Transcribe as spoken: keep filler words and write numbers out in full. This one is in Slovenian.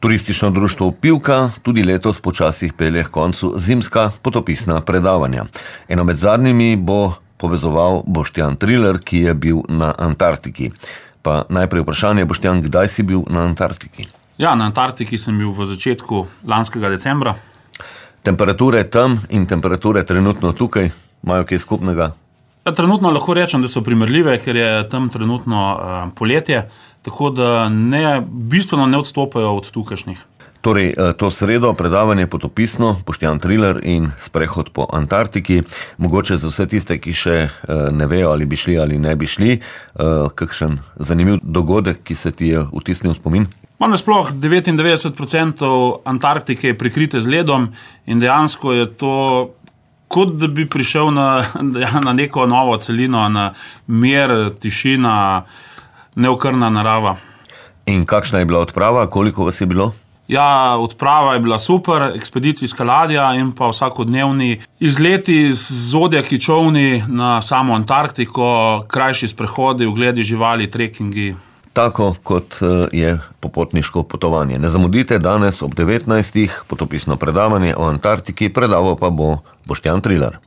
Turistično društvo Pivka tudi letos počasih pelje k koncu zimska potopisna predavanja. Eno med zadnjimi bo povezoval Boštjan Trilar, ki je bil na Antarktiki. Pa najprej vprašanje, Boštjan, kdaj si bil na Antarktiki? Ja, na Antarktiki sem bil v začetku lanskega decembra. Temperature tam in temperature trenutno tukaj imajo kaj skupnega? Ja, trenutno lahko rečem, da so primerljive, ker je tam trenutno uh, poletje, tako da ne, bistveno ne odstopajo od tukajšnjih. Torej, to sredo predavanje potopisno, Boštjan Trilar in sprehod po Antarktiki. Mogoče za vse tiste, ki še ne vejo, ali bi šli ali ne bi šli, kakšen zanimiv dogodek, ki se ti je vtisnil v spomin? Nasploh devetindevetdeset procentov Antarktike je prekrite z ledom in dejansko je to kot da bi prišel na, na neko novo celino, na mir, tišina, neokrna narava. In kakšna je bila odprava? Koliko vas je bilo? Ja, odprava je bila super, ekspedicijska ladja in pa vsakodnevni izleti z zodjaki čolni na samo Antarktiko, krajši sprehodi, ogledi živali, trekingi. Tako kot je popotniško potovanje. Ne zamudite danes ob devetnajstih potopisno predavanje o Antarktiki, predaval pa bo Boštjan Trilar.